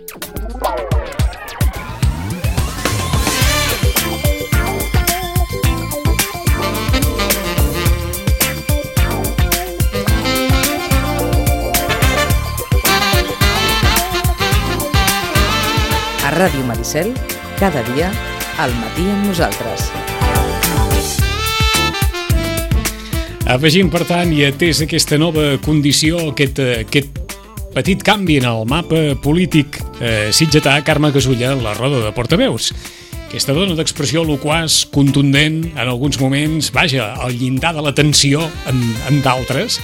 A Ràdio Maricel, cada dia, al matí amb nosaltres. Afegim, per tant, i atès aquesta nova condició, aquest petit canvi en el mapa polític sitgetà, Carme Gasulla, la roda de portaveus. Aquesta dona d'expressió loquaç, contundent, en alguns moments, vaja, al llindar de la tensió en d'altres.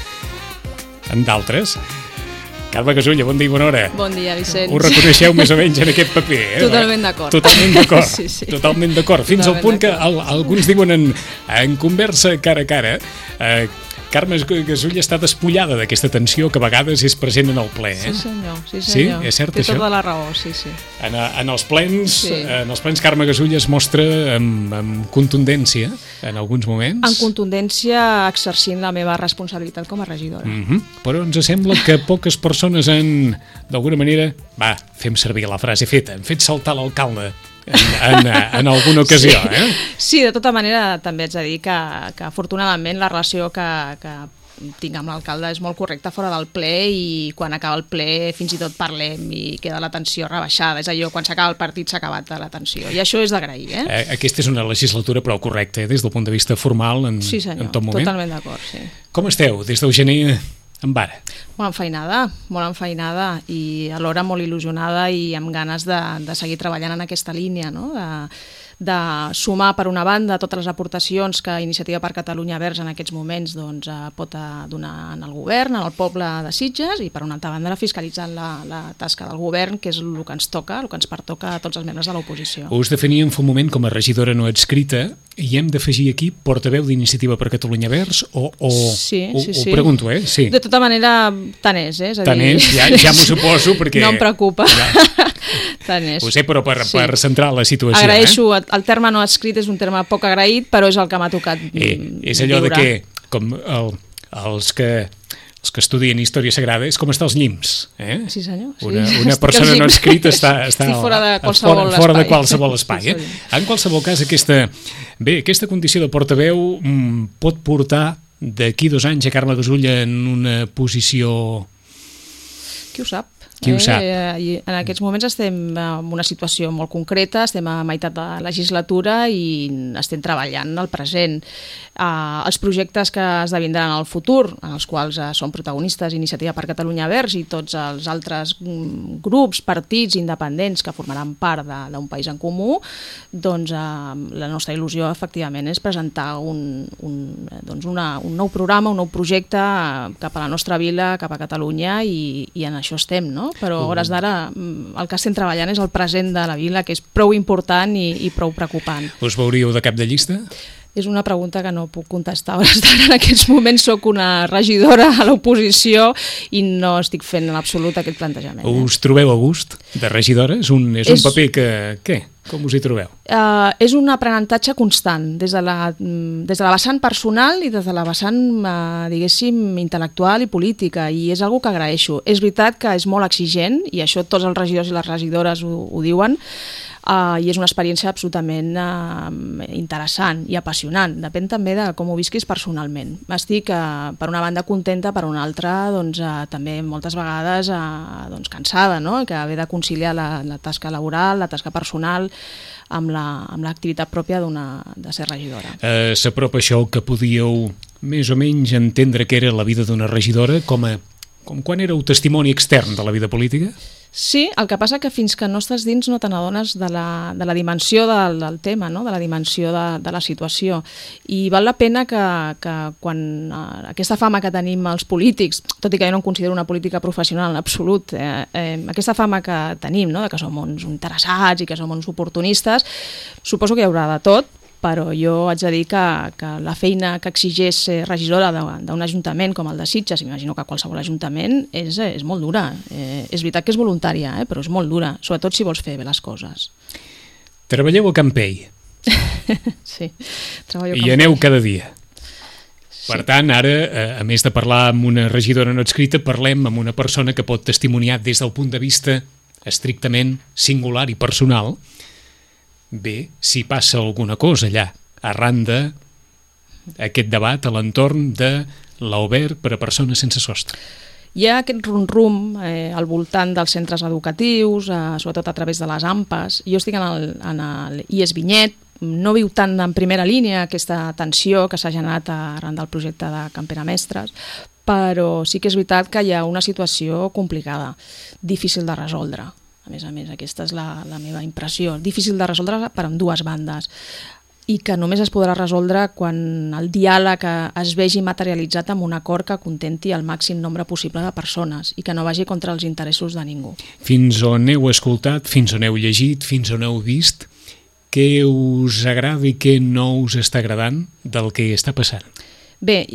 Carme Gasulla, bon dia i bona hora. Bon dia, Vicenç. Ho reconeixeu més o menys en aquest paper, eh? Totalment d'acord. Totalment d'acord. Sí, sí. Totalment d'acord. Fins al punt que alguns diuen en conversa cara a cara, Carme Gasulla està despullada d'aquesta tensió que a vegades és present en el ple, eh? Sí, senyor. Sí? És cert, Té això? tota la raó, sí. En els plens, Sí. Carme Gasulla es mostra amb contundència en alguns moments. En contundència, exercint la meva responsabilitat com a regidora. Però ens sembla que poques persones han, d'alguna manera, fem servir la frase feta, han fet saltar l'alcalde en alguna ocasió, eh? Sí, de tota manera, també haig de dir que afortunadament la relació que tinc amb l'alcalde és molt correcta fora del ple, i quan acaba el ple fins i tot parlem i queda la tensió rebaixada. És allò, quan s'acaba el partit s'ha acabat la tensió, i això és d'agrair, eh? Aquesta és una legislatura prou correcta, des del punt de vista formal en tot moment. Totalment d'acord, sí. Com esteu des del gener en vara? Molt enfeinada i alhora molt il·lusionada i amb ganes de seguir treballant en aquesta línia, no? De sumar, per una banda, totes les aportacions que Iniciativa per Catalunya Verds en aquests moments pot donar en el govern, en el poble de Sitges, i per una altra banda fiscalitzant la tasca del govern, que és el que ens toca, el que ens pertoca a tots els membres de l'oposició. Us definíem fa un moment com a regidora no adscrita, i hem d'afegir aquí portaveu d'Iniciativa per Catalunya Verds o Sí. Ho pregunto, eh? Sí. De tota manera, tant és, eh? Tant és, ja m'ho suposo, perquè... No em preocupa. Tant és. Ho sé, però per centrar la situació... Agraeixo, el terme no adscrit és un terme poc agraït, però és el que m'ha tocat és allò de que, com els que estudien Història Sagrada, és com estar als llims. Eh? Sí, senyor. Sí. Una persona no adscrita està fora de qualsevol espai. En qualsevol cas, aquesta condició de portaveu pot portar d'aquí 2 anys a Carme Gasulla en una posició... Qui ho sap? Qui ho sap? En aquests moments estem en una situació molt concreta, estem a meitat de la legislatura i estem treballant el present. Els projectes que esdevindran en el futur, en els quals són protagonistes Iniciativa per Catalunya Verds i tots els altres grups, partits independents que formaran part d'un país en comú, doncs la nostra il·lusió efectivament és presentar un nou programa, un nou projecte cap a la nostra vila, cap a Catalunya, i en això estem, no? Però a hores d'ara el que estem treballant és el present de la vila, que és prou important i prou preocupant. Us veuríeu de cap de llista? És una pregunta que no puc contestar a hores d'ara. En aquests moments soc una regidora a l'oposició i no estic fent en absolut aquest plantejament. Us trobeu a gust de regidora? És un paper que... Què? Com us hi trobeu? És un aprenentatge constant, des de la vessant personal i des de la vessant, diguéssim, intel·lectual i política, i és una cosa que agraeixo. És veritat que és molt exigent, i això tots els regidors i les regidores ho diuen, i és una experiència absolutament interessant i apassionant. Depèn també de com ho visquis personalment. Estic, per una banda, contenta, per una altra, també moltes vegades cansada, no? Que haver de conciliar la tasca laboral, la tasca personal, amb l'activitat pròpia de ser regidora. S'apropa això que podíeu més o menys entendre que era la vida d'una regidora com quan éreu testimoni extern de la vida política? Sí, el que passa que fins que no estàs dins no te n'adones de la dimensió del tema, no? De la dimensió de la situació. I val la pena que quan aquesta fama que tenim els polítics, tot i que jo no em considero una política professional en absolut, aquesta fama que tenim, no? De que som uns interessats i que som uns oportunistes, suposo que hi haurà de tot, però jo haig de dir que la feina que exigeix ser regidora d'un ajuntament com el de Sitges, m'imagino que qualsevol ajuntament, és molt dura. És veritat que és voluntària, però és molt dura, sobretot si vols fer bé les coses. Treballeu a Campell. Sí, treballo a Campell. I aneu cada dia. Per tant, ara, a més de parlar amb una regidora no adscrita, parlem amb una persona que pot testimoniar des del punt de vista estrictament singular i personal, bé, si passa alguna cosa allà, arran d'aquest debat a l'entorn de l'Obert per a persones sense sostre. Hi ha aquest rum-rum al voltant dels centres educatius, sobretot a través de les AMPAs. Jo estic en el IES Vinyet, no viu tant en primera línia aquesta tensió que s'ha generat arran del projecte de Campera Mestres, però sí que és veritat que hi ha una situació complicada, difícil de resoldre. A més, aquesta és la meva impressió. Difícil de resoldre per ambdues bandes i que només es podrà resoldre quan el diàleg es vegi materialitzat amb un acord que contenti el màxim nombre possible de persones i que no vagi contra els interessos de ningú. Fins on heu escoltat, fins on heu llegit, fins on heu vist, què us agrada i què no us està agradant del que està passant? Bé,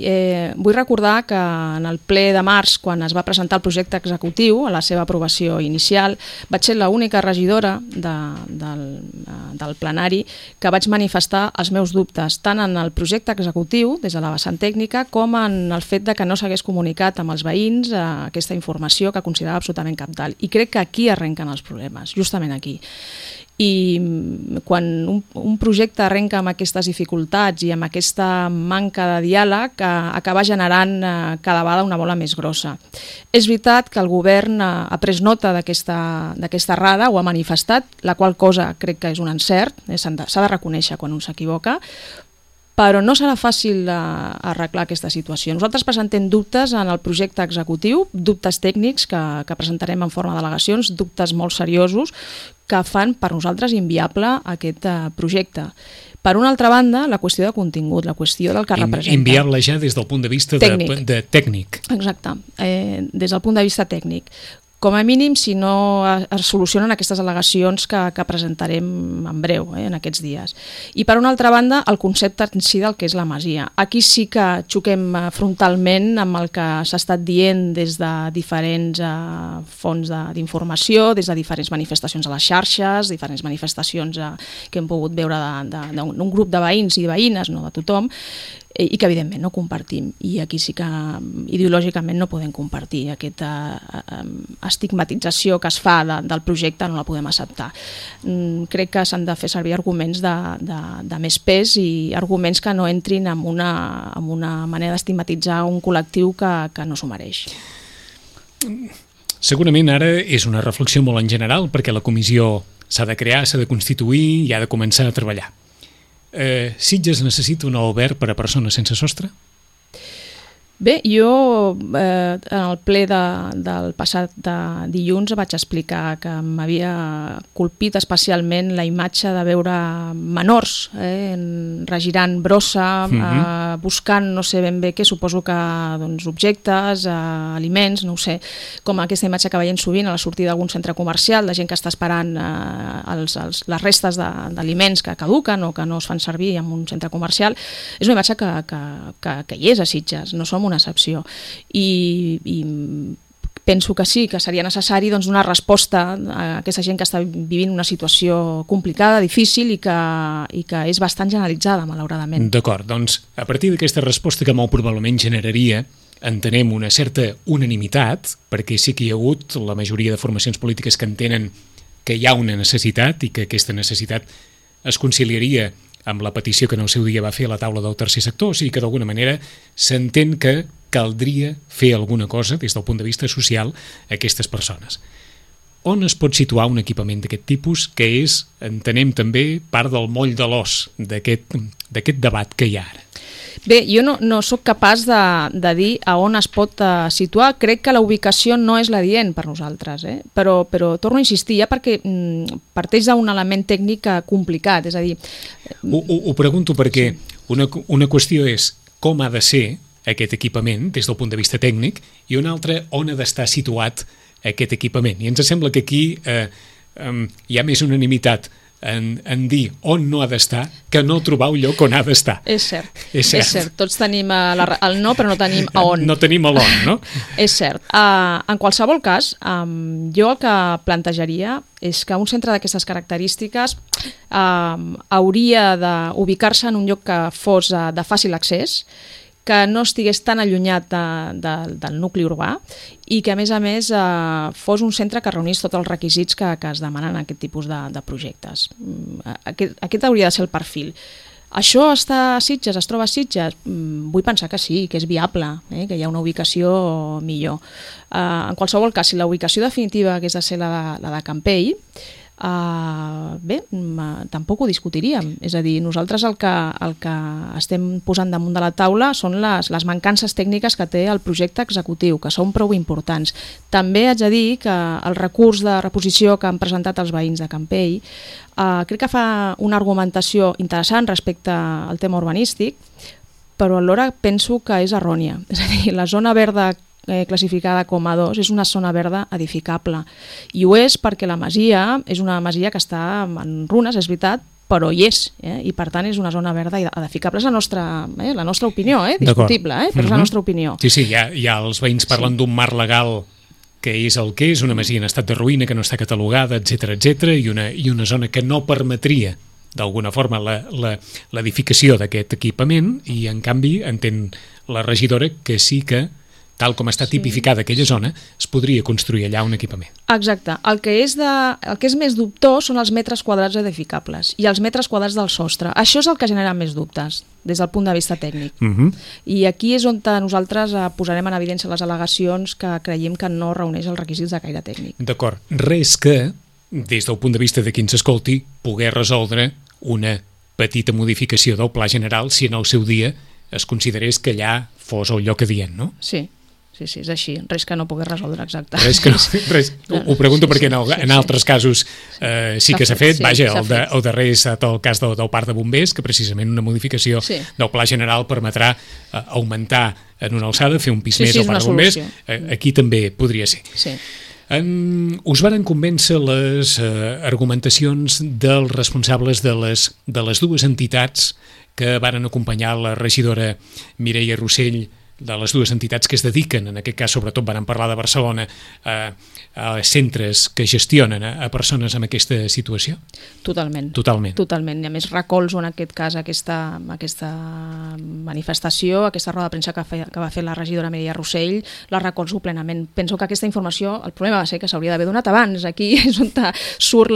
vull recordar que en el ple de març, quan es va presentar el projecte executiu, a la seva aprovació inicial, vaig ser l'única regidora del plenari que vaig manifestar els meus dubtes, tant en el projecte executiu, des de la vessant tècnica, com en el fet de que no s'hagués comunicat amb els veïns aquesta informació que considerava absolutament cabdal. I crec que aquí arrenquen els problemes, justament aquí. I quan un projecte arrenca amb aquestes dificultats i amb aquesta manca de diàleg acaba generant cada vegada una bola més grossa. És veritat que el govern ha pres nota d'aquesta errada, ho ha manifestat, la qual cosa crec que és un encert, s'ha de reconèixer quan un s'equivoca, però no serà fàcil arreglar aquesta situació. Nosaltres presentem dubtes en el projecte executiu, dubtes tècnics que presentarem en forma d'al·legacions, dubtes molt seriosos que fan per nosaltres inviable aquest projecte. Per una altra banda, la qüestió de contingut, la qüestió del que representa. Inviable ja des del punt de vista tècnic. Exacte, des del punt de vista tècnic. Com a mínim, si no es solucionen aquestes al·legacions que presentarem en breu, en aquests dies. I per una altra banda, el concepte en si del que és la masia. Aquí sí que xoquem frontalment amb el que s'ha estat dient des de diferents fonts d'informació, des de diferents manifestacions a les xarxes, diferents manifestacions que hem pogut veure d'un grup de veïns i de veïnes, no de tothom, i que evidentment no compartim, i aquí sí que ideològicament no podem compartir aquesta estigmatització que es fa del projecte, no la podem acceptar. Crec que s'han de fer servir arguments de més pes i arguments que no entrin en una manera d'estigmatitzar un col·lectiu que no s'ho mereix. Segurament ara és una reflexió molt en general perquè la comissió s'ha de crear, s'ha de constituir i ha de començar a treballar. Sitges necessita un alberg per a persones sense sostre? Bé, jo en el ple del passat dilluns vaig explicar que m'havia colpit especialment la imatge de veure menors regirant brossa, buscant no sé ben bé què, suposo que objectes, aliments, no ho sé, com aquesta imatge que veiem sovint a la sortida d'algun centre comercial, de gent que està esperant les restes d'aliments que caduquen o que no es fan servir en un centre comercial. És una imatge que hi és a Sitges, no som una excepció, i penso que sí, que seria necessari donar resposta a aquesta gent que està vivint una situació complicada, difícil i que és bastant generalitzada, malauradament. D'acord, doncs a partir d'aquesta resposta que molt probablement generaria, entenem una certa unanimitat, perquè sí que hi ha hagut la majoria de formacions polítiques que entenen que hi ha una necessitat i que aquesta necessitat es conciliaria amb la petició que en el seu dia va fer a la taula del tercer sector, o sigui que d'alguna manera s'entén que caldria fer alguna cosa des del punt de vista social a aquestes persones. On es pot situar un equipament d'aquest tipus que és, entenem també, part del moll de l'os d'aquest debat que hi ha ara? Bé, jo no sóc capaç de dir a on es pot situar. Crec que la ubicació no és l'adient per nosaltres, però torno a insistir, ja perquè parteix d'un element tècnic complicat, és a dir... Ho pregunto perquè una qüestió és com ha de ser aquest equipament des del punt de vista tècnic i una altra on ha d'estar situat aquest equipament. I ens sembla que aquí hi ha més unanimitat en dir on no ha d'estar que no trobar un lloc on ha d'estar. És cert. Tots tenim el no, però no tenim a on. No tenim a l'on, no? És cert. En qualsevol cas, jo el que plantejaria és que un centre d'aquestes característiques hauria d'ubicar-se en un lloc que fos de fàcil accés, que no estigués tan allunyat del nucli urbà i que, a més, fos un centre que reunís tots els requisits que es demanen en aquest tipus de projectes. Aquest hauria de ser el perfil. Això està a Sitges, es troba a Sitges? Vull pensar que sí, que és viable, que hi ha una ubicació millor. En qualsevol cas, si la ubicació definitiva hagués de ser la de Campell, tampoc ho discutiríem. És a dir, nosaltres el que estem posant damunt de la taula són les mancances tècniques que té el projecte executiu, que són prou importants. També haig de dir que el recurs de reposició que han presentat els veïns de Campell crec que fa una argumentació interessant respecte al tema urbanístic, però alhora penso que és errònia. És a dir, la zona verda classificada com a 2 és una zona verda edificable, i ho és perquè la masia és una masia que està en runes, és veritat, però hi és, i per tant és una zona verda edificable. És la nostra opinió, discutible, però és la nostra opinió. Sí, hi ha els veïns parlen d'un marc legal que és el que és, una masia en estat de ruïna que no està catalogada, etc, i una zona que no permetria d'alguna forma l'edificació d'aquest equipament, i en canvi entén la regidora que sí que, tal com està tipificada aquella zona, es podria construir allà un equipament. Exacte. El que és més dubtós són els metres quadrats edificables i els metres quadrats del sostre. Això és el que genera més dubtes des del punt de vista tècnic. I aquí és on nosaltres posarem en evidència les al·legacions que creiem que no reuneix els requisits de caire tècnic. D'acord. Res que, des del punt de vista de qui ens escolti, poder resoldre una petita modificació del pla general si en el seu dia es considerés que allà fos el lloc adient, no? Sí, és així. Res que no pogués resoldre, exacte. Ho pregunto perquè en altres casos sí que s'ha fet. Vaja, el darrer ha estat el cas del parc de bombers, que precisament una modificació del pla general permetrà augmentar en una alçada, fer un pis més al parc de bombers. Aquí també podria ser. Sí. Us varen convèncer les argumentacions dels responsables de les dues entitats que varen acompanyar la regidora Mireia Rossell, de les dues entitats que es dediquen, en aquest cas sobretot varen parlar de Barcelona, a centres que gestionen a persones en aquesta situació? Totalment. I a més recolzo en aquest cas aquesta manifestació, aquesta roda de premsa que va fer la regidora Mireia Rossell, la recolzo plenament. Penso que aquesta informació, el problema va ser que s'hauria d'haver donat abans. Aquí és on surt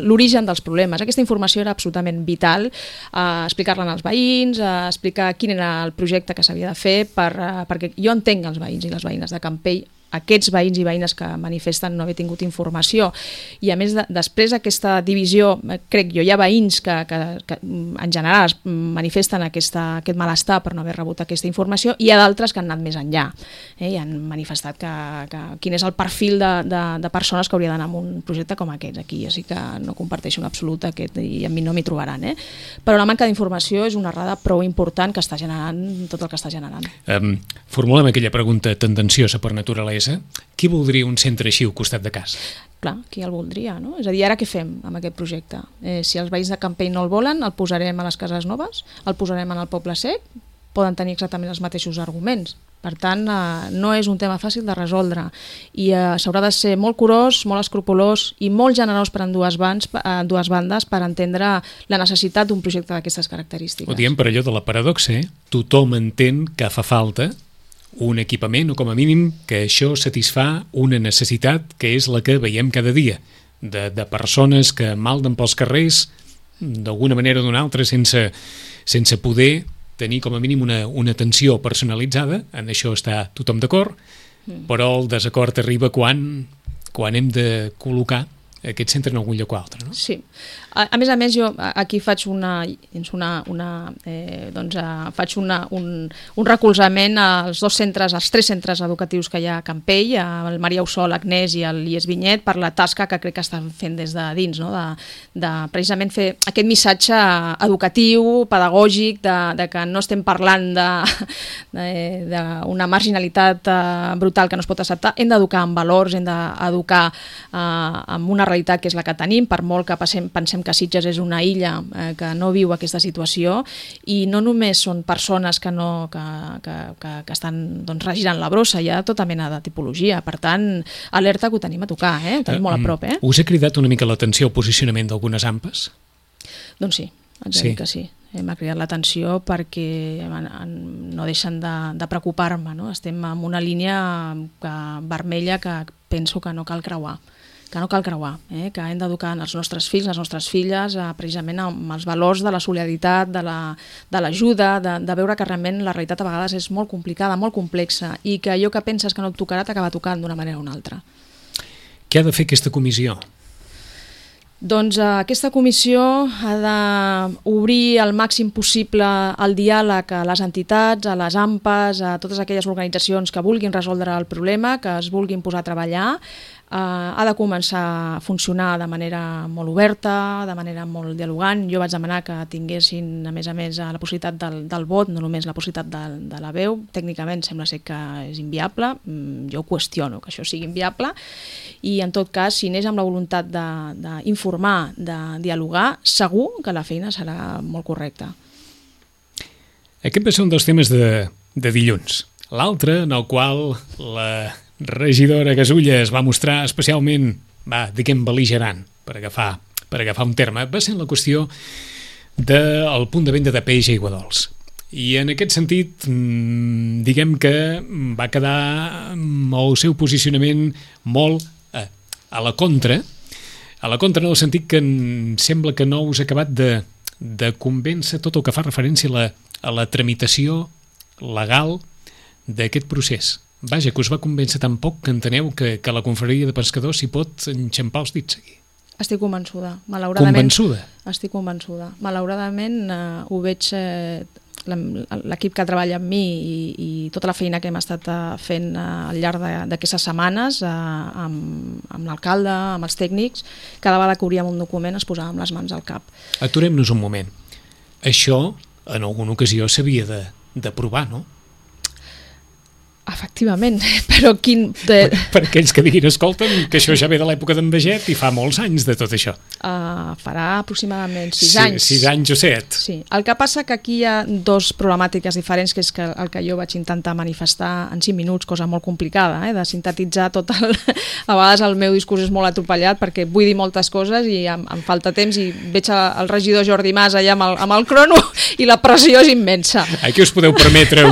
l'origen dels problemes. Aquesta informació era absolutament vital, explicar-la als veïns, explicar quin era el projecte que s'havia de fer, perquè jo entenc els veïns i les veïnes de Campell, aquests veïns i veïnes que manifesten no haver tingut informació, i a més després d'aquesta divisió, crec jo, hi ha veïns que en general es manifesten aquest malestar per no haver rebut aquesta informació, i hi ha d'altres que han anat més enllà i han manifestat quin és el perfil de persones que hauria d'anar en un projecte com aquest. Aquí ja sí que no comparteixo en absolut aquest, i a mi no m'hi trobaran, però la manca d'informació és una errada prou important que està generant tot el que està generant. Formulem aquella pregunta tendenciosa per naturalesa. Qui voldria un centre així al costat de casa? Clar, qui el voldria, no? És a dir, ara què fem amb aquest projecte? Si els veïns de Campell no el volen, el posarem a les cases noves, el posarem en el Poble Sec, poden tenir exactament els mateixos arguments. Per tant, no és un tema fàcil de resoldre, i s'haurà de ser molt curós, molt escrupolós i molt generós per dues bandes per entendre la necessitat d'un projecte d'aquestes característiques. Ho diem per allò de la paradoxa, tothom entén que fa falta un equipament, o com a mínim que això satisfà una necessitat que és la que veiem cada dia, de persones que malden pels carrers d'alguna manera o d'una altra sense poder tenir com a mínim una atenció personalitzada. En això està tothom d'acord, però el desacord arriba quan hem de col·locar aquest centre en algun lloc o altre, no? Sí. A més, jo aquí faig un recolzament als els tres centres educatius que hi ha a Campell, el Maria Ussol, Agnès i l'IES Vinyet, per la tasca que crec que estan fent des de dins, no? de precisament fer aquest missatge educatiu, pedagògic, de que no estem parlant d'una marginalitat brutal que no es pot acceptar. Hem d'educar en valors, hem d'educar amb una realitat que és la que tenim, per molt que pensem que Sitges és una illa que no viu aquesta situació, i no només són persones que estan regirant la brossa, hi ha tota mena de tipologia. Per tant, alerta que ho tenim a tocar, ho tenim molt a prop. Us ha cridat una mica l'atenció el posicionament d'algunes AMPAs? Doncs sí, haig de dir que sí. m'ha cridat l'atenció perquè no deixen de preocupar-me, no? Estem en una línia vermella que penso que no cal creuar, que hem d'educar els nostres fills, les nostres filles, precisament amb els valors de la solidaritat, de l'ajuda, de veure que realment la realitat a vegades és molt complicada, molt complexa, i que allò que penses que no et tocarà t'acaba tocant d'una manera o una altra. Què ha de fer aquesta comissió? Doncs aquesta comissió ha d'obrir al màxim possible el diàleg a les entitats, a les AMPAs, a totes aquelles organitzacions que vulguin resoldre el problema, que es vulguin posar a treballar. Ha de començar a funcionar de manera molt oberta, de manera molt dialogant. Jo vaig demanar que tinguessin, a més, la possibilitat del vot, no només la possibilitat de la veu. Tècnicament sembla ser que és inviable. Jo qüestiono que això sigui inviable. I, en tot cas, si anés amb la voluntat d'informar, de dialogar, segur que la feina serà molt correcta. Aquest va ser un dels temes de dilluns. L'altre, en el qual la regidora Gasulla es va mostrar especialment, bel·ligerant, per agafar un terme, va ser la qüestió del punt de venda de peix a Aiguadols. I en aquest sentit, diguem que va quedar el seu posicionament molt a la contra en el sentit que em sembla que no us ha acabat de convèncer tot el que fa referència a la tramitació legal d'aquest procés. Vaja, que us va convèncer tan poc que enteneu que la confraria de pescadors s'hi pot enxampar els dits aquí. Estic convençuda, malauradament. Convençuda? Estic convençuda. Malauradament ho veig, l'equip que treballa amb mi i tota la feina que hem estat fent al llarg d'aquestes setmanes amb l'alcalde, amb els tècnics, cada vegada que obríem un document es posàvem les mans al cap. Aturem-nos un moment. Això en alguna ocasió s'havia de provar, no? Efectivament, però quin... Per aquells que diguin, escolta'm, que això ja ve de l'època d'en Baget i fa molts anys de tot això. Farà aproximadament 6 anys. 6 anys o 7. Sí. El que passa que aquí hi ha dos problemàtiques diferents, que és el que jo vaig intentar manifestar en 5 minuts, cosa molt complicada, de sintetitzar tot el... A vegades el meu discurs és molt atropellat perquè vull dir moltes coses i em falta temps i veig el regidor Jordi Mas allà amb el crono i la pressió és immensa. Aquí us podeu permetre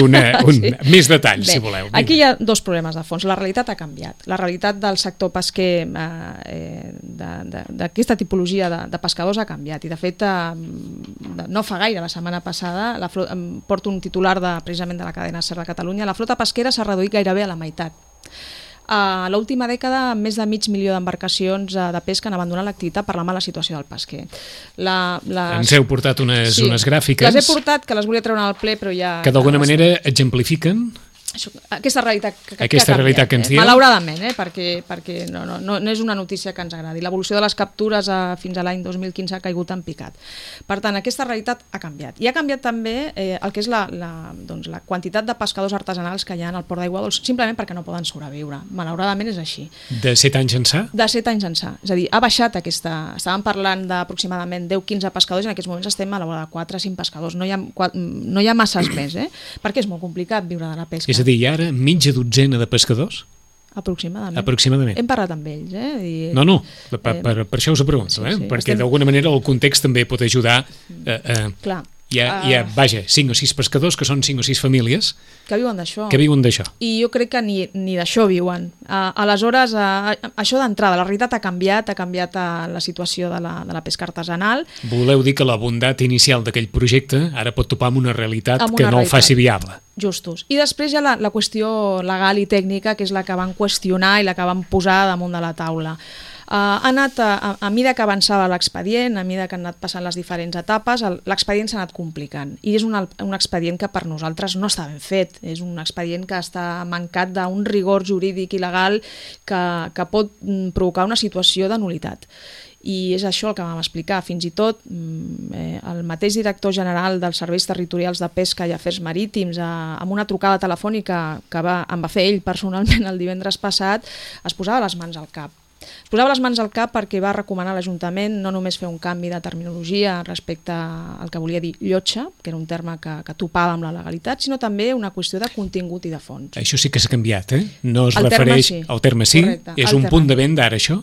més detalls, si voleu. Aquí hi ha dos problemes de fons. La realitat ha canviat. La realitat del sector pesquer d'aquesta tipologia de pescadors ha canviat. I, de fet, no fa gaire, la setmana passada, porto un titular precisament de la cadena SER de Catalunya, la flota pesquera s'ha reduït gairebé a la meitat. A l'última dècada, més de 500.000 d'embarcacions de pesca han abandonat l'activitat per la mala situació del pesquer. Ens heu portat unes gràfiques. Les he portat, que les volia treure al ple, però ja... Que d'alguna manera exemplifiquen aquesta realitat que ens diu. Malauradament, perquè no és una notícia que ens agradi. L'evolució de les captures fins a l'any 2015 ha caigut en picat. Per tant, aquesta realitat ha canviat. I ha canviat també el que és la quantitat de pescadors artesanals que hi ha al Port d'Aiguadols, simplement perquè no poden sobreviure. Malauradament és així. De 7 anys ençà? De 7 anys ençà. És a dir, ha baixat aquesta... Estàvem parlant d'aproximadament 10-15 pescadors i en aquests moments estem a la vora de 4-5 pescadors. No hi ha masses més, perquè és molt complicat viure de la pesca. És a dir, ara mitja dotzena de pescadors? Aproximadament. Hem parlat amb ells. No, per això us ho pregunto, perquè d'alguna manera el context també pot ajudar. Clar. Hi ha, 5 o 6 pescadors, que són 5 o 6 famílies que viuen d'això. I jo crec que ni d'això viuen. Aleshores, això d'entrada, la realitat ha canviat la situació de la pesca artesanal. Voleu dir que la bondat inicial d'aquell projecte ara pot topar amb una realitat que no el faci viable. Justos. I després hi ha la qüestió legal i tècnica, que és la que van qüestionar i la que van posar damunt de la taula. Ha anat, a mesura que avançava l'expedient, a mesura que han anat passant les diferents etapes, l'expedient s'ha anat complicant. I és un expedient que per nosaltres no està ben fet. És un expedient que està mancat d'un rigor jurídic i legal que pot provocar una situació de nul·litat. I és això el que vam explicar. Fins i tot el mateix director general dels Serveis Territorials de Pesca i Afers Marítims, amb una trucada telefònica que em va fer ell personalment el divendres passat, es posava les mans al cap. Posava les mans al cap perquè va recomanar a l'Ajuntament no només fer un canvi de terminologia respecte al que volia dir llotja, que era un terme que topava amb la legalitat, sinó també una qüestió de contingut i de fons. Això sí que s'ha canviat, No es refereix al terme sí? És un punt de venda ara, això?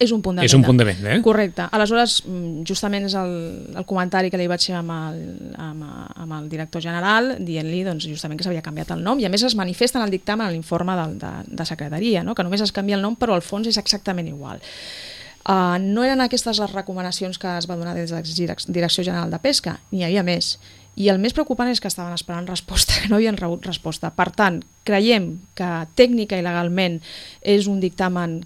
És un punt de venda. És un punt de venda, Correcte. Aleshores, justament és el comentari que li vaig fer amb el director general, dient-li doncs, justament que s'havia canviat el nom, i a més es manifesta en el dictamen, en l'informe de secretaria, no? Que només es canvia el nom, però el fons és exactament igual. No eren aquestes les recomanacions que es va donar des de la Direcció General de Pesca, n'hi havia més. I el més preocupant és que estaven esperant resposta, que no havien rebut resposta. Per tant, creiem que tècnica i legalment és un dictamen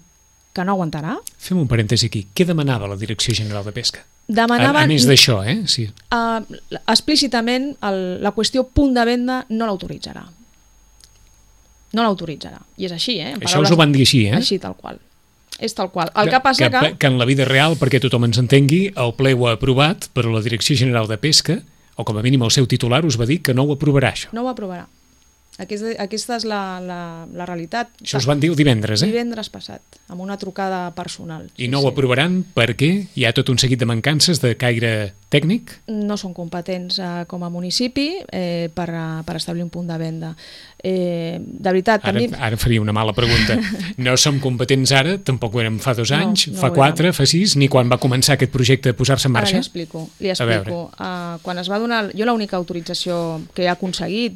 que no aguantarà. Fem un parèntesi aquí. Què demanava la Direcció General de Pesca? Demanaven, a més d'això, sí. Explícitament, la qüestió punt de venda no l'autoritzarà. No l'autoritzarà. I és així, Això us ho van dir així, Així, tal qual. És tal qual. El que passa que en la vida real, perquè tothom ens entengui, el ple ho ha aprovat, però la Direcció General de Pesca, o com a mínim el seu titular, us va dir que no ho aprovarà, això. No ho aprovarà. Aquesta és la realitat. Això us van dir el divendres, Divendres passat, amb una trucada personal. I no ho aprovaran perquè hi ha tot un seguit de mancances de caire tècnic? No són competents com a municipi per establir un punt de venda. De veritat, ara faria una mala pregunta. No som competents ara, tampoc ho érem fa 2 anys, fa 4, fa 6, ni quan va començar aquest projecte a posar-se en marxa? Ara li explico. Quan es va donar... Jo l'única autorització que he aconseguit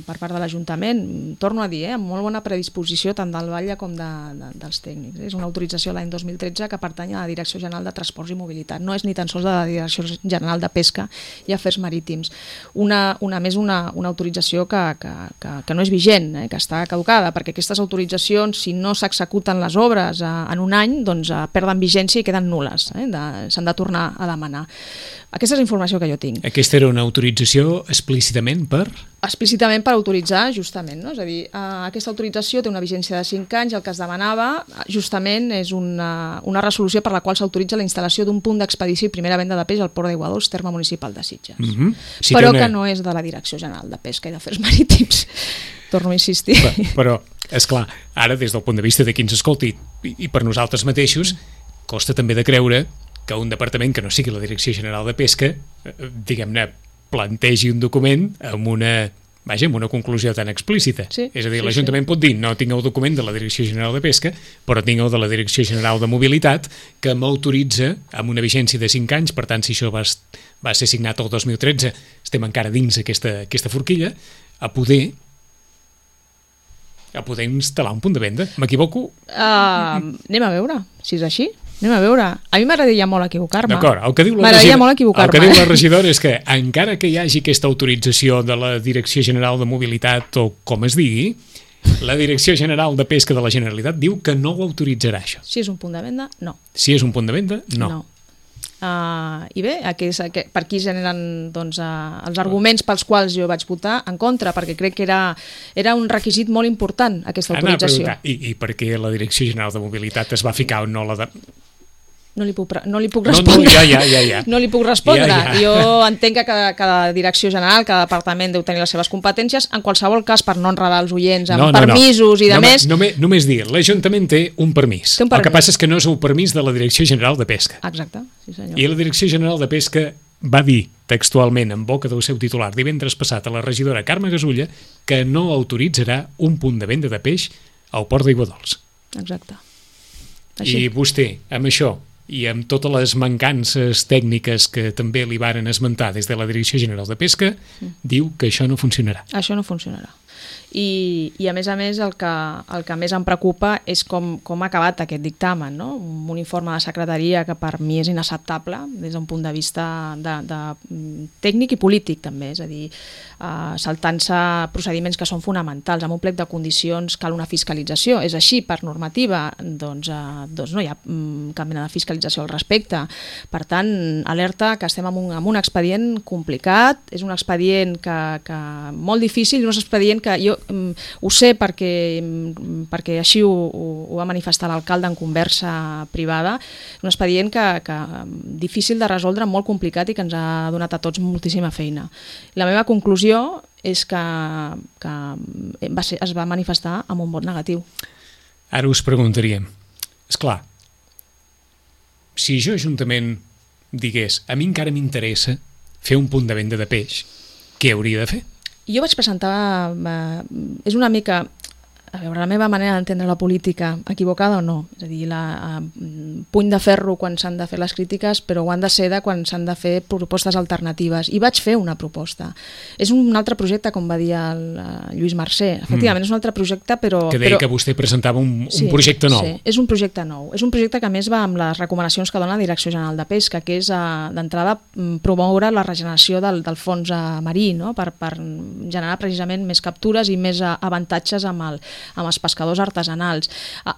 per part de l'Ajuntament, torno a dir, amb molt bona predisposició tant del Batlle com dels tècnics. És una autorització l'any 2013 que pertany a la Direcció General de Transports i Mobilitat. No és ni tan sols de la Direcció General de Pesca i Afers Marítims. Una autorització que no és vigent, que està caducada, perquè aquestes autoritzacions, si no s'executen les obres en un any, doncs perden vigència i queden nul·les. S'han de tornar a demanar. Aquesta és la informació que jo tinc. Aquesta era una autorització explícitament per? Explícitament per autoritzar, justament. No? És a dir, aquesta autorització té una vigència de 5 anys, el que es demanava justament és una resolució per la qual s'autoritza la instal·lació d'un punt d'expedició i primera venda de peix al Port d'Aigua Dols, terme municipal de Sitges. Però que no és de la Direcció General de Pesca i d'Afers Marítims. Torno a insistir. Però, esclar, ara des del punt de vista de qui ens escolti i per nosaltres mateixos, costa també de creure que un departament que no sigui la Direcció General de Pesca, diguem-ne, plantegi un document amb una conclusió tan explícita. És a dir, l'Ajuntament pot dir no tinc el document de la Direcció General de Pesca, però tinc el de la Direcció General de Mobilitat que m'autoritza amb una vigència de 5 anys, per tant, si això va ser signat el 2013, estem encara dins aquesta forquilla, a poder instal·lar un punt de venda. M'equivoco? Anem a veure si és així. Anem a veure. A mi m'agradaria molt equivocar-me. D'acord, el que diu la regidora és que encara que hi hagi aquesta autorització de la Direcció General de Mobilitat o com es digui, la Direcció General de Pesca de la Generalitat diu que no ho autoritzarà, això. Si és un punt de venda, no. Si és un punt de venda, no. I bé, per aquí generen els arguments pels quals jo vaig votar en contra, perquè crec que era un requisit molt important aquesta autorització. I per què la Direcció General de Mobilitat es va ficar o no la de... No li puc respondre. Ja. No li puc respondre. Ja. Jo entenc que cada direcció general, cada departament deu tenir les seves competències. En qualsevol cas, per no enredar els oients amb permisos i de més... Només dir, l'Ajuntament té un permís. El que passa és que no és un permís de la Direcció General de Pesca. Exacte, sí senyor. I la Direcció General de Pesca va dir textualment en boca del seu titular divendres passat a la regidora Carme Gasulla que no autoritzarà un punt de venda de peix al Port d'Aigua Dols. Exacte. I vostè, amb això i amb totes les mancances tècniques que també li varen esmentar des de la Direcció General de Pesca, diu que això no funcionarà. Això no funcionarà. I a més, el que més em preocupa és com ha acabat aquest dictamen, no? Un informe de secretaria que per mi és inacceptable des d'un punt de vista de tècnic i polític també, és a dir, saltant-se procediments que són fonamentals. Amb un plec de condicions cal una fiscalització. És així, per normativa, doncs no hi ha cap mena de fiscalització al respecte. Per tant, alerta que estem en un expedient complicat, és un expedient que molt difícil, un expedient que jo ho sé perquè així ho va manifestar l'alcalde en conversa privada, un expedient que difícil de resoldre, molt complicat i que ens ha donat a tots moltíssima feina. La meva conclusió és que es va manifestar amb un vot negatiu. Ara us preguntaríem, esclar, si jo Ajuntament digués a mi encara m'interessa fer un punt de venda de peix, què hauria de fer? Jo vaig presentar... És una mica... A veure, la meva manera d'entendre la política, equivocada o no, és a dir, puny de ferro quan s'han de fer les crítiques, però ho han de ser quan s'han de fer propostes alternatives. I vaig fer una proposta. És un altre projecte, com va dir el Lluís Mercè. Efectivament, és un altre projecte, però... Que deia que vostè presentava un projecte nou. Sí, és un projecte nou. És un projecte que a més va amb les recomanacions que dona la Direcció General de Pesca, que és, d'entrada, promoure la regeneració del fons marí, no? per generar precisament més captures i més avantatges amb els pescadors artesanals.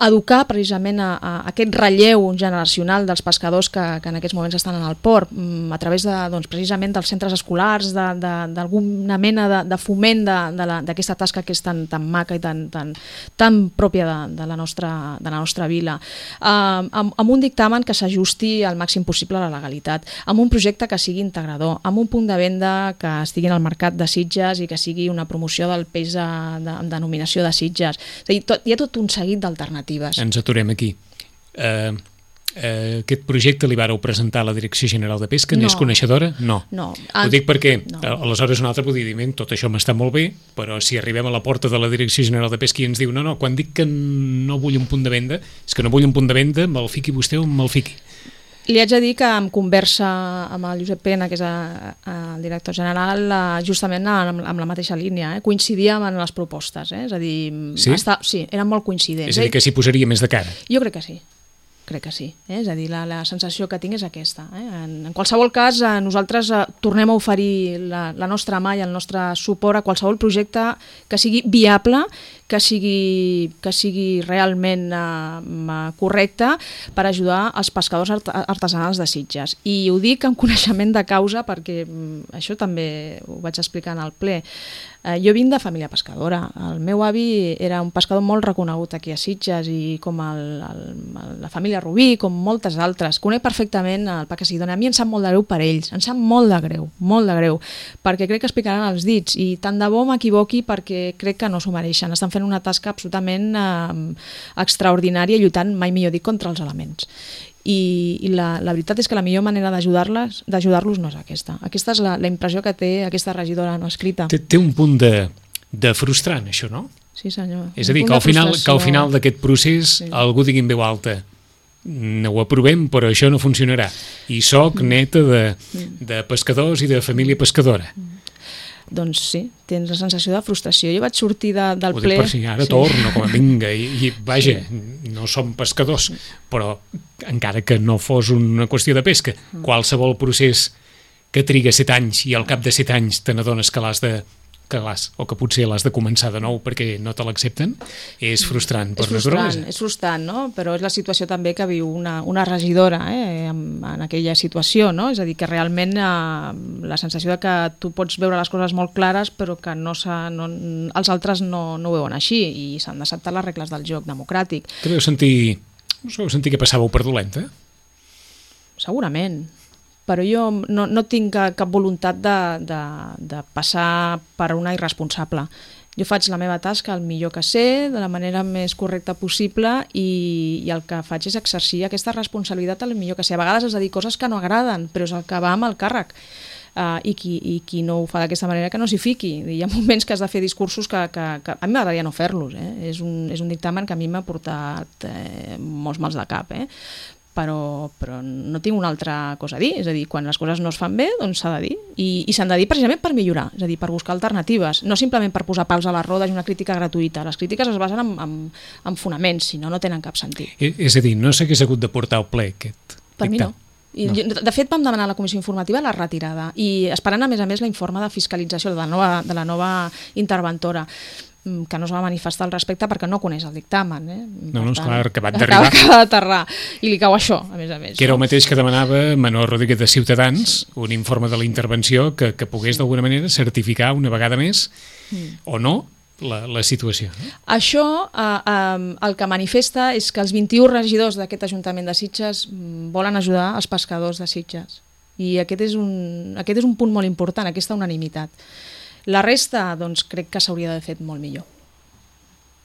Educar precisament a aquest relleu generacional dels pescadors que en aquests moments estan en el port, a través precisament dels centres escolars, d'alguna mena de foment d'aquesta tasca que és tan maca i tan pròpia de la nostra vila, amb un dictamen que s'ajusti al màxim possible a la legalitat, amb un projecte que sigui integrador, amb un punt de venda que estigui en el mercat de Sitges i que sigui una promoció del peix amb denominació de Sitges. És a dir, hi ha tot un seguit d'alternatives. Ens aturem aquí. Aquest projecte li vareu presentar a la Direcció General de Pesca? N'és coneixedora? No. Ho dic perquè aleshores un altre podria dir, tot això m'està molt bé, però si arribem a la porta de la Direcció General de Pesca i ens diu no, quan dic que no vull un punt de venda, és que no vull un punt de venda, me'l fiqui vostè o me'l fiqui. Li haig de dir que en conversa amb el Josep Pena, que és el director general, justament amb la mateixa línia, coincidíem en les propostes, és a dir, sí, eren molt coincidents. És a dir, que s'hi posaria més de cara. Jo crec que sí. Crec que sí, és a dir, la sensació que tinc és aquesta. En qualsevol cas, nosaltres tornem a oferir la nostra mà i el nostre suport a qualsevol projecte que sigui viable, que sigui realment correcte per ajudar els pescadors artesanals de Sitges. I ho dic amb coneixement de causa perquè això també ho vaig explicar en el ple. Jo vinc de família pescadora. El meu avi era un pescador molt reconegut aquí a Sitges i com la família Rubí, com moltes altres. Conec perfectament el pa que s'hi dona. A mi em sap molt de greu per ells. Em sap molt de greu, perquè crec que es picaran els dits i tant de bo m'equivoqui perquè crec que no s'ho mereixen. Estan fent una tasca absolutament extraordinària, lluitant, mai millor dit, contra els elements. I la veritat és que la millor manera d'ajudar-los no és aquesta. Aquesta és la impressió que té aquesta regidora no escrita. Té un punt de frustrant, això, no? Sí, senyor. És a dir, que al final d'aquest procés algú digui en veu alta no ho aprovem, però això no funcionarà. I soc neta de pescadors i de família pescadora. Doncs sí, tens la sensació de frustració. Jo vaig sortir del ple... Ho dic per si ara torno, com a vinga, i vaja, no som pescadors, però encara que no fos una qüestió de pesca, qualsevol procés que triga 7 anys i al cap de 7 anys te n'adones o que potser l'has de començar de nou perquè no te l'accepten, és frustrant per naturalesa. És frustrant, no? Però és la situació també que viu una regidora en aquella situació, no? És a dir, que realment la sensació de que tu pots veure les coses molt clares però que els altres no ho veuen així i s'han d'acceptar les regles del joc democràtic. Que vau sentir que passàveu per dolenta? Segurament. Però jo no tinc cap voluntat de passar per una irresponsable. Jo faig la meva tasca el millor que sé, de la manera més correcta possible i el que faig és exercir aquesta responsabilitat el millor que sé. A vegades has de dir coses que no agraden, però és el que va amb el càrrec. I qui no ho fa d'aquesta manera que no s'hi fiqui. Hi ha moments que has de fer discursos que a mi m'agradaria no fer-los. És un dictamen que a mi m'ha portat molts mals de cap. Però no tinc una altra cosa a dir, és a dir, quan les coses no es fan bé, doncs s'ha de dir, i s'han de dir precisament per millorar, és a dir, per buscar alternatives, no simplement per posar pals a les rodes i una crítica gratuïta. Les crítiques es basen en fonaments, si no tenen cap sentit. És a dir, no s'hagués hagut de portar al ple aquest dictat? Per mi no. De fet, vam demanar a la comissió informativa la retirada i esperant, a més, l'informe de fiscalització de la nova interventora, que no es va manifestar al respecte perquè no coneix el dictamen. No, és clar, acabat d'arribar. Acaba d'aterrar. I li cau això, a més. Que era el mateix que demanava Manol Rodríguez de Ciutadans, un informe de la intervenció que pogués d'alguna manera certificar una vegada més o no la situació. Això el que manifesta és que els 21 regidors d'aquest Ajuntament de Sitges volen ajudar els pescadors de Sitges. I aquest és un punt molt important, aquesta unanimitat. La resta, doncs, crec que s'hauria d'haver fet molt millor.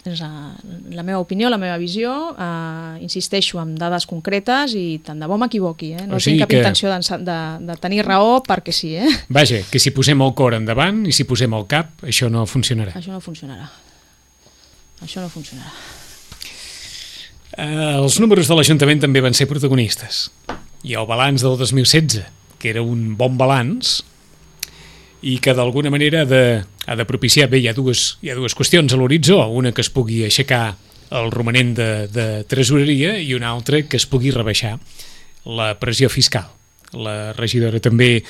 És la meva opinió, la meva visió, insisteixo en dades concretes i tant de bo m'equivoqui, no tinc cap intenció de tenir raó perquè sí. Vaja, que si posem el cor endavant i si posem el cap, això no funcionarà. Això no funcionarà. Això no funcionarà. Els números de l'Ajuntament també van ser protagonistes. Hi ha el balanç del 2016, que era un bon balanç, i que d'alguna manera ha de propiciar... Bé, hi ha dues qüestions a l'horitzó, una que es pugui aixecar el romanent de tresoreria i una altra que es pugui rebaixar la pressió fiscal. La regidora també,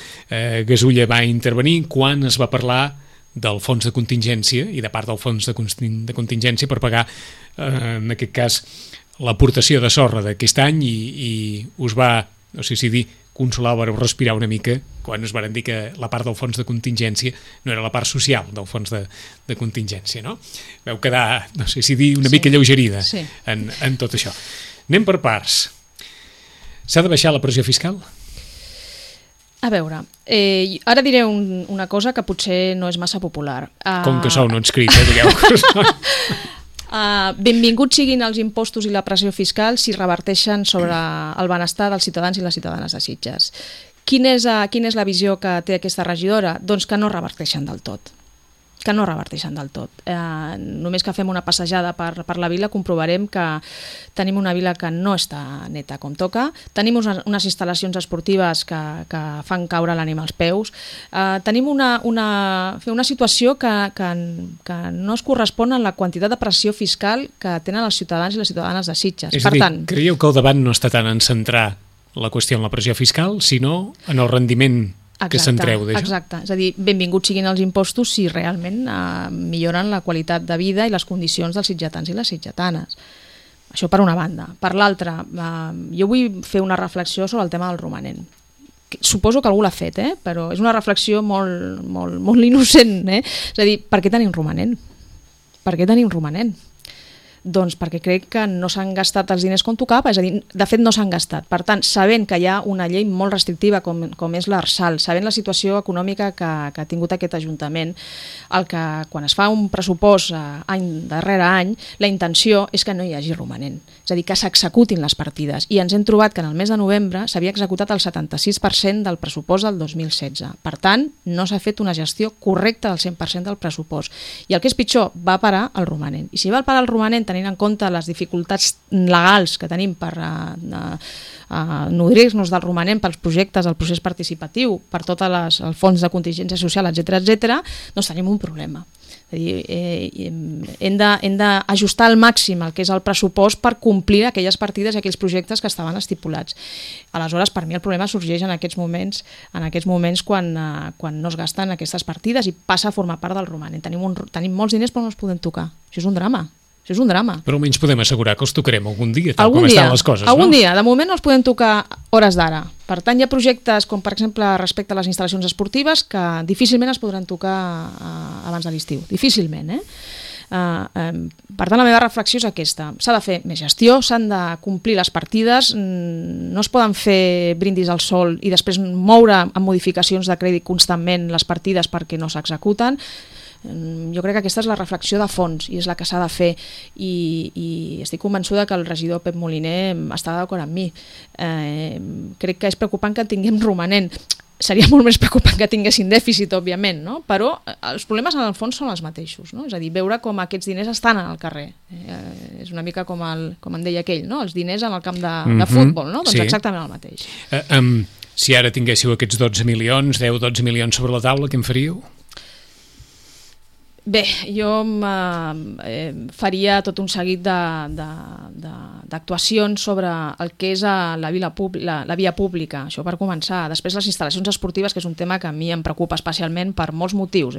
Gasulla, va intervenir quan es va parlar del fons de contingència i de part del fons de contingència per pagar, en aquest cas, l'aportació de sorra d'aquest any i us va, no sé si dir, consolar o respirar una mica quan us van dir que la part del fons de contingència no era la part social del fons de contingència, no? Veu quedar, no sé si dir, una mica lleugerida en tot això. Anem per parts. S'ha de baixar la pressió fiscal? A veure, ara diré una cosa que potser no és massa popular. Com que sou no inscrits, digueu. Benvinguts siguin els impostos i la pressió fiscal si reverteixen sobre el benestar dels ciutadans i les ciutadanes de Sitges. Quina és la visió que té aquesta regidora? Doncs que no reverteixen del tot. Només que fem una passejada per la vila comprovarem que tenim una vila que no està neta com toca, tenim unes instal·lacions esportives que fan caure l'ànima als peus, tenim una situació que no es correspon amb la quantitat de pressió fiscal que tenen els ciutadans i les ciutadanes de Sitges. És a dir, creieu que el debat no està tant en centrar la qüestió en la pressió fiscal, sinó en el rendiment que se'n treu d'això? Exacte, és a dir, benvinguts siguin els impostos si realment milloren la qualitat de vida i les condicions dels sitgetans i les sitgetanes. Això per una banda. Per l'altra, jo vull fer una reflexió sobre el tema del romanent. Suposo que algú l'ha fet, però és una reflexió molt innocent. És a dir, per què tenim romanent? Per què tenim romanent? Doncs perquè crec que no s'han gastat els diners com tocava, és a dir, de fet no s'han gastat. Per tant, sabent que hi ha una llei molt restrictiva com és l'Arsal, sabent la situació econòmica que ha tingut aquest Ajuntament, quan es fa un pressupost any darrere any, la intenció és que no hi hagi romanent, és a dir, que s'executin les partides. I ens hem trobat que en el mes de novembre s'havia executat el 76% del pressupost del 2016. Per tant, no s'ha fet una gestió correcta del 100% del pressupost. I el que és pitjor, va parar el romanent. I si va parar el romanent tenint en compte les dificultats legals que tenim per nodrir-nos del romanent pels projectes, el procés participatiu, per tot el fons de contingència social, etc., doncs tenim un problema. És a dir, hem d'ajustar al màxim el que és el pressupost per complir aquelles partides i aquells projectes que estaven estipulats. Aleshores, per mi el problema sorgeix en aquests moments quan no es gasten aquestes partides i passa a formar part del romanent. Tenim molts diners però no els podem tocar. Això és un drama. Però almenys podem assegurar que els tocarem algun dia, tal com estan les coses, no? Algun dia. De moment no els podem tocar hores d'ara. Per tant, hi ha projectes com, per exemple, respecte a les instal·lacions esportives que difícilment es podran tocar abans de l'estiu. Difícilment, Per tant, la meva reflexió és aquesta. S'ha de fer més gestió, s'han de complir les partides, no es poden fer brindis al sol i després moure amb modificacions de crèdit constantment les partides perquè no s'executen. Jo crec que aquesta és la reflexió de fons i és la que s'ha de fer i estic convençuda que el regidor Pep Moliner està d'acord amb mi. Crec que és preocupant que tinguem romanent. Seria molt més preocupant que tinguessin dèficit, òbviament, no? Però els problemes en el fons són els mateixos, no? És a dir, veure com aquests diners estan al carrer. És una mica com en deia aquell, no? Els diners en el camp de futbol, no? Doncs exactament el mateix. Si ara tinguéssiu aquests 12 milions, 10-12 milions sobre la taula, què en faríeu? Bé, jo faria tot un seguit d'actuacions sobre el que és la via pública, això per començar. Després les instal·lacions esportives, que és un tema que a mi em preocupa especialment per molts motius.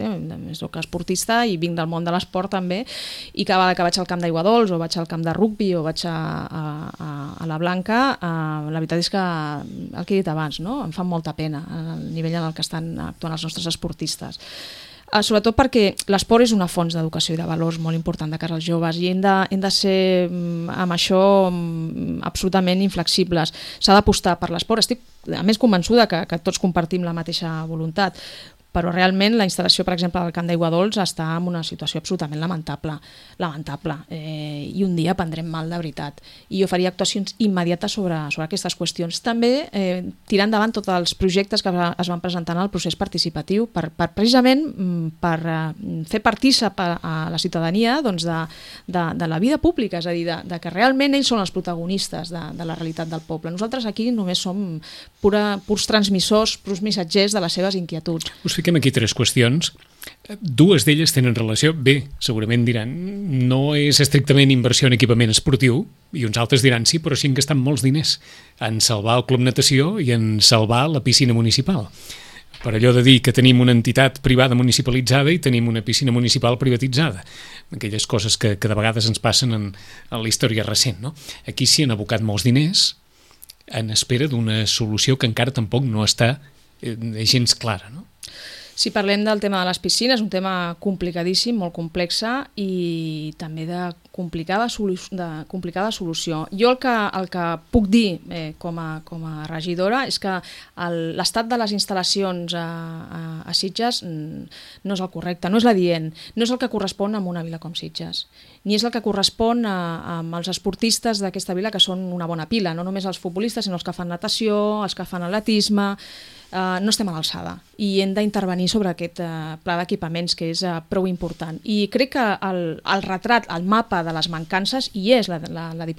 Soc esportista i vinc del món de l'esport també, i cada vegada que vaig al camp d'Aiguadols o vaig al camp de rugbi o vaig a la Blanca, la veritat és que el que he dit abans, no? Em fa molta pena el nivell en el que estan actuant els nostres esportistes. Sobretot perquè l'esport és una font d'educació i de valors molt important de cara als joves i hem de ser amb això absolutament inflexibles. S'ha d'apostar per l'esport. Estic a més convençuda que tots compartim la mateixa voluntat, però realment la instal·lació, per exemple, del Camp d'Aigua Dols està en una situació absolutament lamentable, i un dia prendrem mal de veritat. I jo faria actuacions immediates sobre aquestes qüestions. També tirar endavant tots els projectes que es van presentar en el procés participatiu precisament per fer partícip a la ciutadania de la vida pública, és a dir, de que realment ells són els protagonistes de la realitat del poble. Nosaltres aquí només som purs transmissors, purs missatgers de les seves inquietuds. Us fiquem aquí 3 qüestions. 2 d'elles tenen relació, bé, segurament diran, no és estrictament inversió en equipament esportiu, i uns altres diran, sí, però sí que estan molts diners en salvar el Club Natació i en salvar la piscina municipal. Per allò de dir que tenim una entitat privada municipalitzada i tenim una piscina municipal privatitzada. Aquelles coses que de vegades ens passen en la història recent, no? Aquí s'hi han abocat molts diners en espera d'una solució que encara tampoc no està gens clara, no? Si parlem del tema de les piscines, un tema complicadíssim, molt complexa i també de complicada solució. Jo el que puc dir com a regidora és que l'estat de les instal·lacions a Sitges no és el correcte, no és l'adient, no és el que correspon a una vila com Sitges, ni és el que correspon als esportistes d'aquesta vila, que són una bona pila, no només els futbolistes, sinó els que fan natació, els que fan atletisme. No estem a l'alçada i hem d'intervenir sobre aquest pla d'equipaments, que és prou important. I crec que el retrat, el mapa de les mancances hi és. La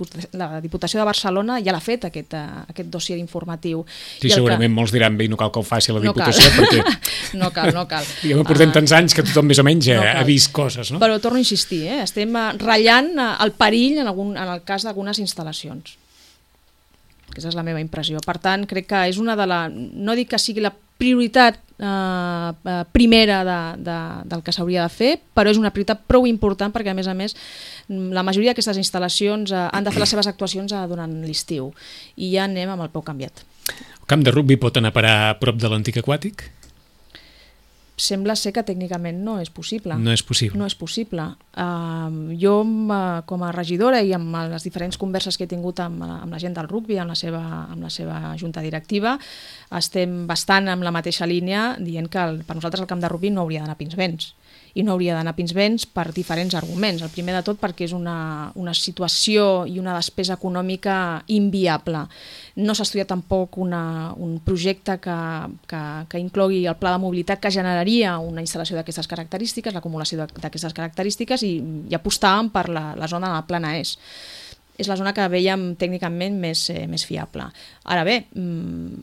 Diputació de Barcelona ja l'ha fet, aquest dossier informatiu. Sí, segurament molts diran, bé, no cal que ho faci la Diputació, perquè... No cal. Ja portem tants anys que tothom més o menys ha vist coses, no? Però torno a insistir, estem ratllant el perill en el cas d'algunes instal·lacions. Aquesta és la meva impressió. Per tant, crec que és no dic que sigui la prioritat primera del que s'hauria de fer, però és una prioritat prou important perquè, a més, la majoria d'aquestes instal·lacions han de fer les seves actuacions durant l'estiu i ja anem amb el peu canviat. El camp de rugbi pot anar a parar a prop de l'antic aquàtic? Sembla ser que tècnicament no és possible. No és possible. No és possible. Jo, com a regidora i amb les diferents converses que he tingut amb la gent del rugbi, amb la seva junta directiva, estem bastant amb la mateixa línia dient que per nosaltres el camp de rugbi no hauria d'anar a Pinsbens. I no hauria d'anar a Pinsbens per diferents arguments. El primer de tot perquè és una situació i una despesa econòmica inviable. No s'ha estudiat tampoc un projecte que inclogui el pla de mobilitat que generaria una instal·lació d'aquestes característiques, l'acumulació d'aquestes característiques, i apostàvem per la zona de la Plana Est. És la zona que veiem tècnicament més fiable. Ara bé,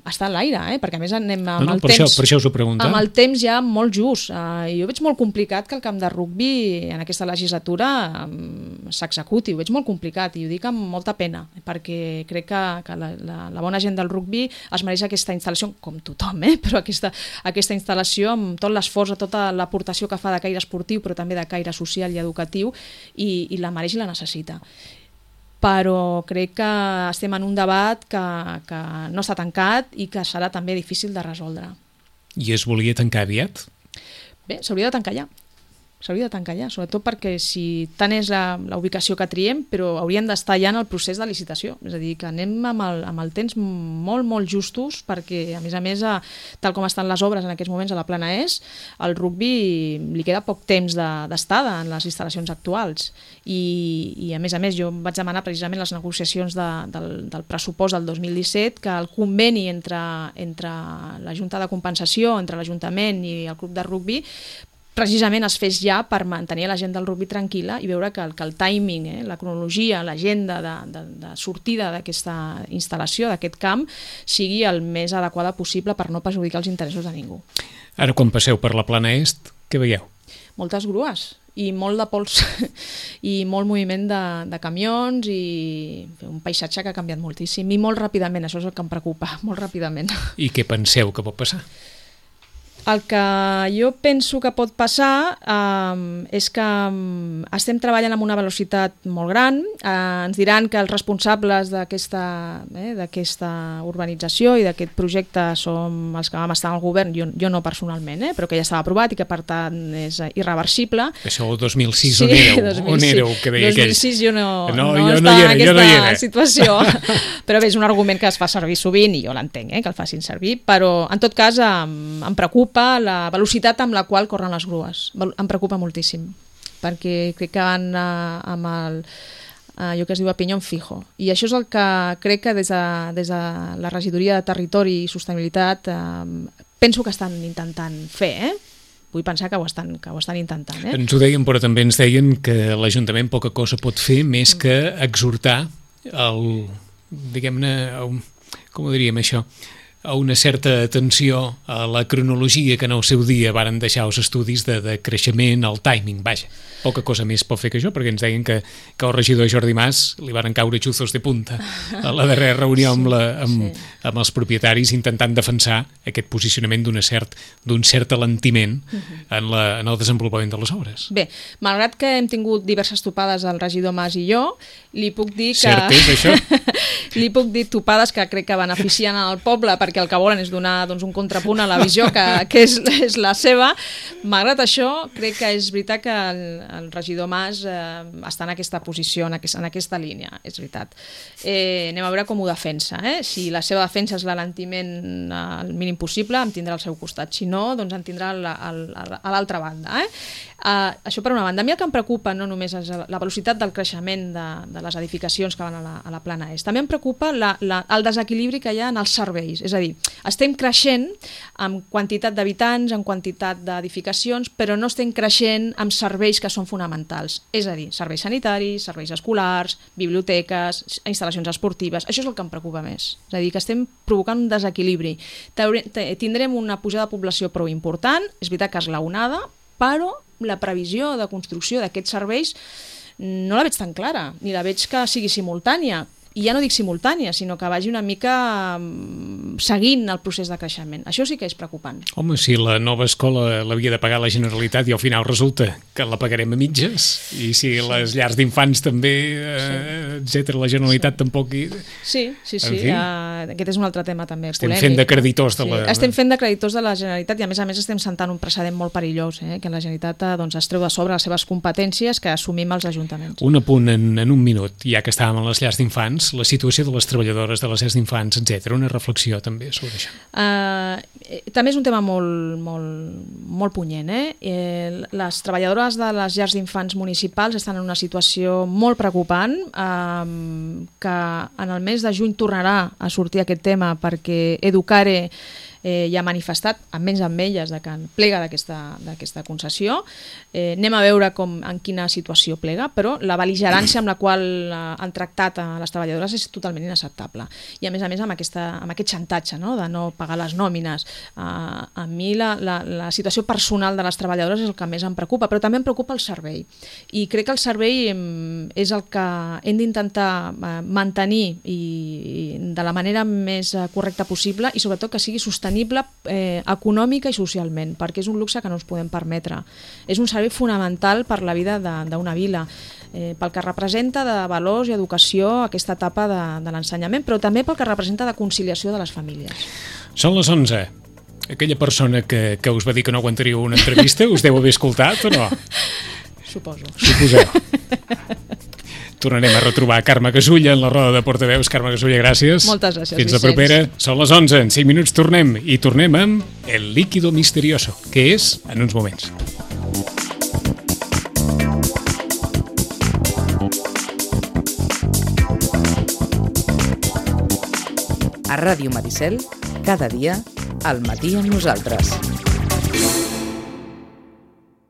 està en l'aire, perquè a més anem amb el temps... Per això us ho pregunto. Amb el temps ja molt just. Jo veig molt complicat que el camp de rugbi en aquesta legislatura s'executi. Ho veig molt complicat i ho dic amb molta pena, perquè crec que la bona gent del rugbi es mereix aquesta instal·lació, com tothom, però aquesta instal·lació amb tot l'esforç, tota l'aportació que fa de caire esportiu, però també de caire social i educatiu, i la mereix i la necessita. Però crec que estem en un debat que no està tancat i que serà també difícil de resoldre. I es volia tancar aviat? Bé, s'hauria de tancar ja. Sobretot perquè si tant és la ubicació que triem, però hauríem d'estar ja en el procés de licitació. És a dir, que anem amb el temps molt, molt justos, perquè, a més, tal com estan les obres en aquests moments a la Plana Est, al rugbi li queda poc temps d'estada en les instal·lacions actuals. I a més, jo vaig demanar precisament les negociacions del pressupost del 2017, que el conveni entre la Junta de Compensació, entre l'Ajuntament i el club de rugbi, precisament es fes ja per mantenir la gent del rugbi tranquil·la i veure que el timing, la cronologia, l'agenda de sortida d'aquesta instal·lació, d'aquest camp, sigui el més adequada possible per no perjudicar els interessos de ningú. Ara, quan passeu per la Plana Est, què veieu? Moltes grues i molt de pols i molt moviment de camions i un paisatge que ha canviat moltíssim i molt ràpidament, això és el que em preocupa, molt ràpidament. I què penseu que pot passar? El que jo penso que pot passar és que estem treballant amb una velocitat molt gran. Ens diran que els responsables d'aquesta urbanització i d'aquest projecte som els que vam estar al govern, jo no personalment, però que ja estava aprovat i que per tant és irreversible. Això el 2006 on éreu? Que deia 2006 jo no estava en aquesta situació, però bé, és un argument que es fa servir sovint i jo l'entenc, que el facin servir, però en tot cas em preocupa preocupa la velocitat amb la qual corren les grues. Em preocupa moltíssim, perquè crec que van amb allò que es diu a pinyón fijo. I això és el que crec que des de la Regidoria de Territori i Sostenibilitat penso que estan intentant fer, Vull pensar que ho estan intentant. Ens ho deien, però també ens deien que l'Ajuntament poca cosa pot fer més que exhortar diguem-ne, com ho diríem això, a una certa atenció a la cronologia que en el seu dia varen deixar els estudis de creixement, el timing, vaja. Poca cosa més pot fer que això, perquè ens deien que el regidor Jordi Mas li varen caure xuzos de punta a la darrera reunió amb els propietaris intentant defensar aquest posicionament d'un cert alentiment en el desenvolupament de les obres. Bé, malgrat que hem tingut diverses topades el regidor Mas i jo, li puc dir que... Cert és, això? Li puc dir topades que crec que beneficien al poble, perquè el que volen és donar un contrapunt a la visió que és la seva. Malgrat això, crec que és veritat que el regidor Mas està en aquesta posició, en aquesta línia, és veritat. Anem a veure com ho defensa. Si la seva defensa és l'alentiment al mínim possible, em tindrà al seu costat. Si no, doncs em tindrà a l'altra banda. Això per una banda. A mi el que em preocupa no només és la velocitat del creixement de les edificacions que van a la plana est. També em preocupa el desequilibri que hi ha en els serveis. És a dir, estem creixent en quantitat d'habitants, en quantitat d'edificacions, però no estem creixent amb serveis que són fonamentals. És a dir, serveis sanitaris, serveis escolars, biblioteques, instal·lacions esportives. Això és el que em preocupa més. És a dir, que estem provocant un desequilibri. Tindrem una pujada de població prou important, és veritat que esglaonada, però la previsió de construcció d'aquests serveis no la veig tan clara, ni la veig que sigui simultània. I ja no dic simultània, sinó que vagi una mica seguint el procés de creixement. Això sí que és preocupant. Home, si la nova escola l'havia de pagar la Generalitat i al final resulta que la pagarem a mitges, i si les llars d'infants també, etcètera, la Generalitat tampoc... Sí. Aquest és un altre tema també polèmic. Estem fent de creditors de la... Estem fent de creditors de la Generalitat i a més estem sentant un precedent molt perillós, que la Generalitat es treu de sobre les seves competències que assumim els ajuntaments. Un apunt en un minut, ja que estàvem a les llars d'infants, la situació de les treballadores de les llars d'infants, etc. Una reflexió també sobre això. També és un tema molt punyent. Les treballadores de les llars d'infants municipals estan en una situació molt preocupant, que en el mes de juny tornarà a sortir aquest tema perquè Educare ja ha manifestat, almenys amb elles, que plega d'aquesta concessió. Anem a veure en quina situació plega, però la bel·ligerància amb la qual han tractat a les treballadores és totalment inacceptable. I a més amb aquest xantatge, de no pagar les nòmines. A mi la situació personal de les treballadores és el que més em preocupa, però també em preocupa el servei. I crec que el servei és el que hem d'intentar mantenir de la manera més correcta possible i sobretot que sigui sostenible econòmica i socialment, perquè és un luxe que no ens podem permetre. És un servei fonamental per la vida d'una vila, pel que representa de valors i educació aquesta etapa de l'ensenyament, però també pel que representa de conciliació de les famílies. Són les 11. Aquella persona que us va dir que no aguantaríeu una entrevista, us deu haver escoltat o no? Suposeu. Tornarem a retrobar Carme Gasulla en la roda de portaveus. Carme Gasulla, gràcies. Moltes gràcies, Fins la propera. Són les 11, en 5 minuts tornem. I tornem amb El líquido misterioso, que és en uns moments. A Ràdio Maricel, cada dia, al matí amb nosaltres.